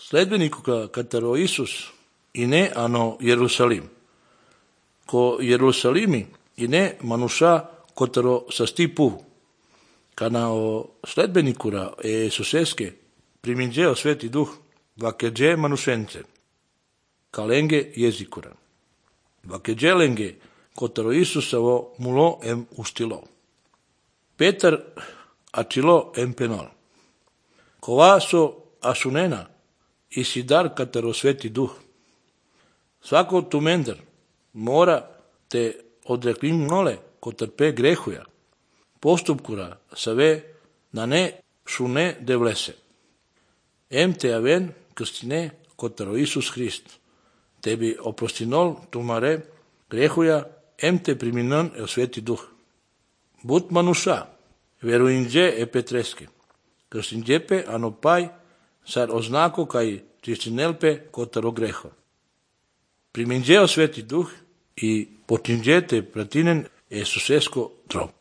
sledbeniku katero Isus и не ано Јерусалим. Ко Јерусалими и не мануша которо са стипу. Кана о следбеникура Исусеске приминџео Свети Дух вакеđe манушенце. Каленге језикура. Вакеđe ленге которо Исусово муло ем устило. Петар ачило ем пенол. Кова со асунена и сидар катеро Свети Дух. Svako tumender mora te odreklin nole ko trpe grehuja. Postupkura save na ne šune devlese. Em te aven krstine kotero Isus Hrist. Tebi oprostinol tumare grehuja em te priminon el Sveti Duh. But manuša, veruinđe e petreske. Krstinđepe anopaj sar oznako kaj čistinelpe kotero greho. Priminđeo Sveti Duh i potinđete pratinen Isusesko trop.